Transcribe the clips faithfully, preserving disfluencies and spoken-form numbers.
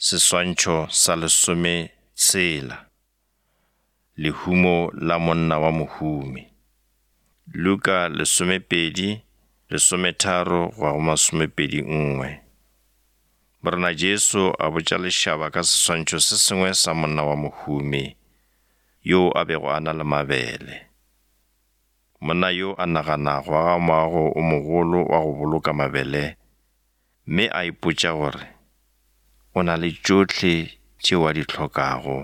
Seswantšho sa lesometshela. Lehumo la monna wa mohumi. Luka lesomepedi, lesometharo go ya go masomepedi nngwe. Morena Jesu a botša lešaba ka seswantšho se sengwe sa monna wa mohumi yo a bego a na le mabele. Monna yo a nagana go aga moago o mogolo wa go boloka mabele, mme a ipotša gore o na le tšohle tšeo a di hlokago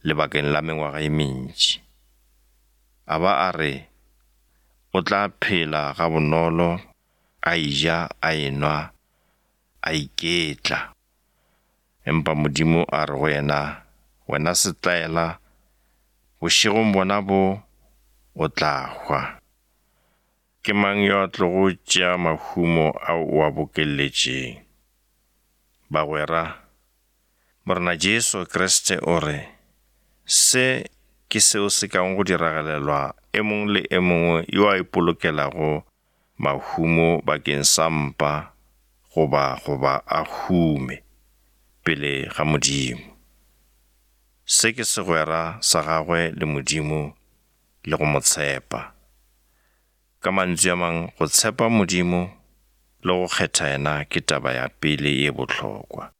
lebakeng la mengwaga e mentši. A ba a re o tla phela gabonolo, a eja, a enwa, a iketla. Empa Modimo a re go yena, wena setlaela, bošegong bona bo o tla hwa. Ke mang yo a tlogo tšea mahumo ao o a bokeletšeng? Bagwera, Morena Jesu Kriste o re, se ke seo se kago go diragalelwa e mongwe le e mongwe yo a ipolokelago mahumo bakeng sa mpa goba goba a hume pele ga Modimo. Se ke segwera sa gagwe le Modimo le go mo tshepa. Ka mantšu a mang, go tshepa Modimo le go kgetha yena ke taba ya pele ye bohlokwa.